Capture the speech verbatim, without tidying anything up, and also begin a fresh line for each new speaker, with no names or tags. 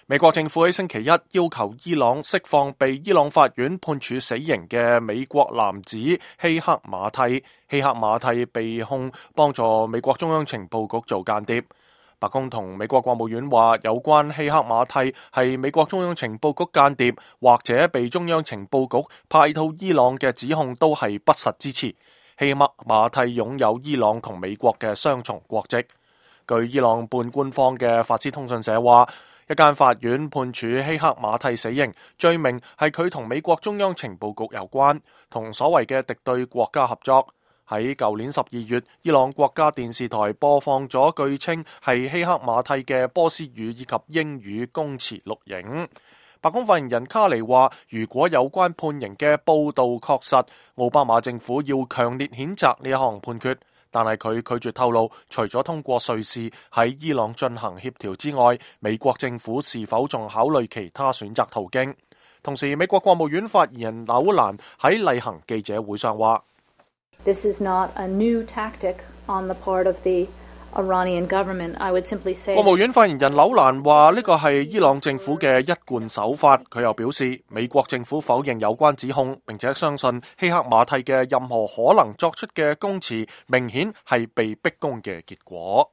美國政府喺星期一要求伊朗釋放被伊朗法院判處死刑嘅美國男子希克馬蒂。希克馬蒂被控幫助美國中央情報局做間諜。白宮同美國國務院話，有關希克馬蒂係美國中央情報局間諜或者被中央情報局派到伊朗嘅指控都係不實之詞。希克馬蒂擁有伊朗同美國嘅雙重國籍。據伊朗半官方嘅法斯通訊社話，一間法院判處希克馬蒂死刑，罪名係佢同美國中央情報局有關，同所謂嘅敵對國家合作。喺舊年十二月，伊朗國家電視台播放咗據稱係希克馬蒂嘅波斯語以及英語供詞錄影。白宮發言人卡尼話，如果有關判刑嘅報道確實，奧巴馬政府要強烈譴責呢一項判決。但係佢拒絕透露，除咗通過瑞士喺伊朗進行協調之外，美國政府是否仲考慮其他選擇途徑。同時，美國國務院發言人紐蘭喺例行記者會上話
：This is not a new tactic on the part of the Iranian government. I would simply say
國務院發言人紐蘭話呢個係伊朗政府嘅一貫手法。佢又表示，美國政府否認有關指控，並且相信希克馬蒂嘅任何可能作出嘅供詞，明顯係被逼供嘅結果。